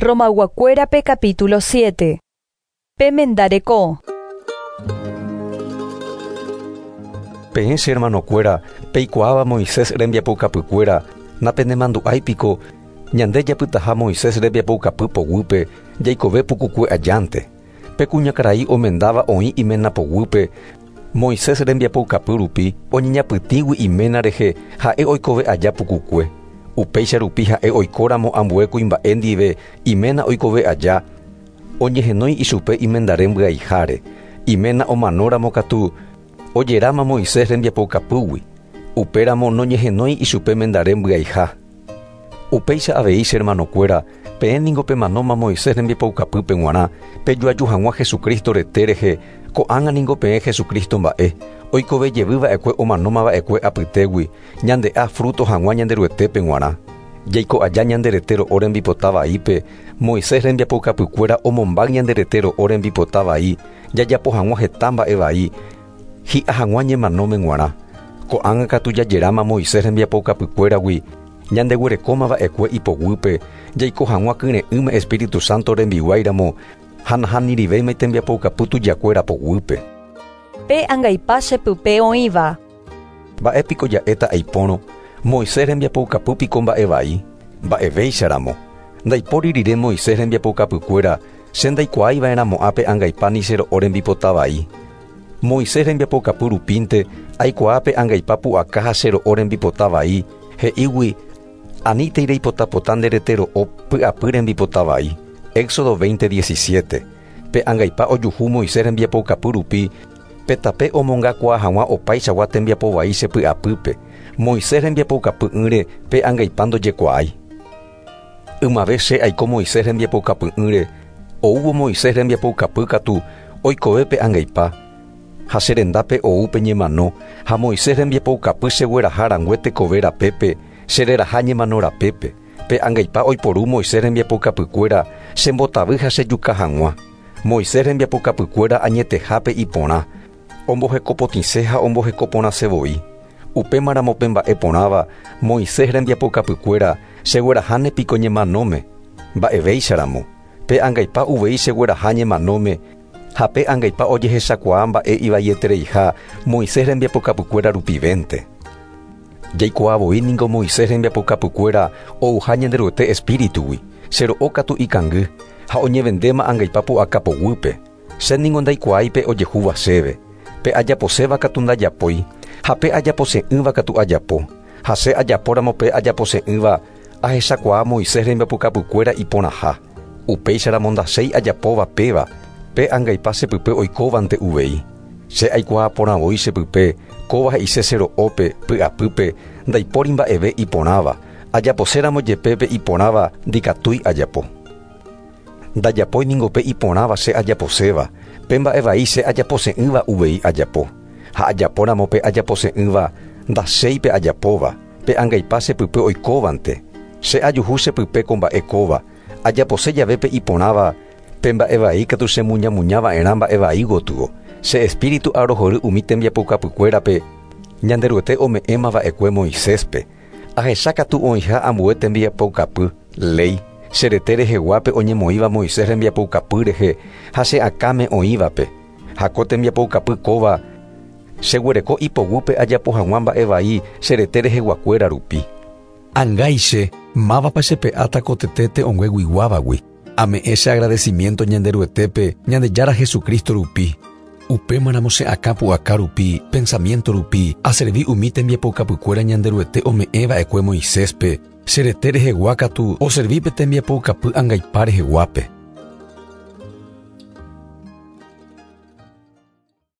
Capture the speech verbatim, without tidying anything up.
Romayguakuérape capítulo siete. Pe mendareko. Peẽ che hermanokuéra, peikuaáva Moisés rembiapoukapykuéra, napenemandu'áipiko ñande japytaha Moisés rembiapoukapy poguýpe jaikove pukukue ajánte. Pe kuñakarai omendáva oĩ iména poguýpe, Moisés rembiapoukapy rupi oñeñapytĩgui iména rehe ha'e oikove aja pukukue. Upéicha rupi ha'e oikóramo ambue kuimba'e ndive iména oikove aja, oñehenói ichupe imendare mbyaiháre. Iména omanóramo katu ojeráma Moisés rembiapoukapýgui. Upéramo noñehenói ichupe mendare mbyaiha. Upéicha avei che hermanokuéra, peẽ ningo pemanóma Moisés rembiapoukapýpe g̃uarã, pejoaju hag̃ua Jesucristo rete rehe, ko'ág̃a ningo peẽ Jesucristo mba'e, oikove jevyva'ekue omanómava'ekue apytégui, ñande'a fruto hag̃ua Ñanderuetépe g̃uarã. Jaiko aja ñande rete ro'o rembipota vaípe, Moisés rembiapoukapykuéra omombáy ñande rete ro'o rembipota vai, jajapo hag̃ua heta mba'e vai, hi'a hag̃ua ñemanóme g̃uarã. Ko'ág̃a katu jajeráma Moisés rembiapoukapykuéragui, ñandeguerekómava'ekue ipoguýpe, jaiko hag̃ua kyre'ỹme Espíritu Santo rembiguáiramo, ha nahanirivéima tembiapoukapy tujakuéra poguýpe. Pe angaipa chepype oĩva. Mba'épiko ja'éta aipórõ, Moisés rembiapoukapýpiko mba'e vai, mba'evéicharamo. Ndaipóri rire Moisés rembiapoukapykuéra, che ndaikuaáiva'erãmo'ã pe angaipa ni che ro'o rembipota vai. Moisés rembiapoukapy rupínte aikuaa pe angaipa pu'aka ha che ro'o rembipota vai, he'ígui anítei reipotapota nde rete ro'o py'apy rembipota vai. Éxodo veinte diecisiete. Pe angaipa ojuhu Moisés rembiapoukapy rupi, pe tape omongakuaa hag̃ua opaichagua tembiapo vai che py'apýpe. Moisés rembiapoukapy'ỹre pe angaipa ndojekuaái. Ymave che aiko Moisés rembiapoukapy'ỹre, oúvo Moisés rembiapoukapy katu oikove pe angaipa. Ha che rendápe ou pe ñemano, ha Moisés rembiapoukapy chegueraha rangue tekove rapépe, che reraha ñemano rapépe. Pe angaipa oiporu Moisés rembiapoukapykuéra chembotavy ha chejuka hag̃ua. Moisés rembiapoukapykuéra añetehápe iporã, ombohekopotĩse ha ombohekoporãse voi. Upémaramo pe mba'e porãva Moisés rembiapoukapykuéra chegueraháne piko ñemanóme, mba'evéicharamo. Pe angaipa uvei chegueraha ñemanóme, ha pe angaipa ojehechakuaa mba'e ivaietereiha Moisés rembiapoukapykuéra rupivénte. Jaikuaa voi ningo Moisés rembiapoukapykuéra ouha Ñanderuete espíritugui, che ro'o katu ikangy, ha oñevendéma angaipa pu'aka poguýpe. Che ningo ndaikuaáipe ojehúva chéve. Pe ajaposéva katu ndajapói, ha pe ajapose'ỹva katu ajapo. Ha che ajapóramo pe ajapose'ỹva, ahechakuaa Moisés rembiapoukapykuéra iporãha. Upéicharamo ndachéi ajapóva péva, pe angaipa chepype oikóvante uvei. Che aikuaa porãvoi chepype, kóva he'ise che ro'ópe, py'apýpe, ndaipóri mba'eve iporãva. Ajaposéramo jepe pe iporãva ndikatúi ajapo. Ndajapói ningo pe iporãva che ajaposéva, pe mba'e vai che ajapose'ỹva uvei ajapo. Ha ajapóramo pe ajapose'ỹva, ndachéi pe ajapóva, pe angaipa chepype oikóvante. Che ajuhu chepype ko mba'e kóva, ajapose jave pe iporãva, pe mba'e vai katu chemuñamuñava'erã mba'e vai gotyo. Che espíritu arohory umi tembiapoukapykuérape, Ñanderuete ome'ẽmava'ekue Moiséspe. Ahecha katu oĩha ambue tembiapoukapy, léi, che rete reheguápe oñemoĩva Moisés rembiapoukapy rehe ha che akãme oĩvape. Ha ko tembiapoukapy kóva cheguereko ipoguýpe ajapo hag̃ua mba'e vai che rete reheguakuéra rupi. Angáiche, mávapa chepe'áta ko tete te'õngueguiguávagui. Ame'ẽ che agradecimiento Ñanderuetépe, Ñandejára Jesucristo rupi. Upémaramo che akã pu'aka rupi, pensamiento rupi, aservi umi tembiapoukapykuéra Ñanderuete ome'ẽva'ekue Moiséspe, che rete rehegua katu oservi pe tembiapoukapy angaipa reheguápe.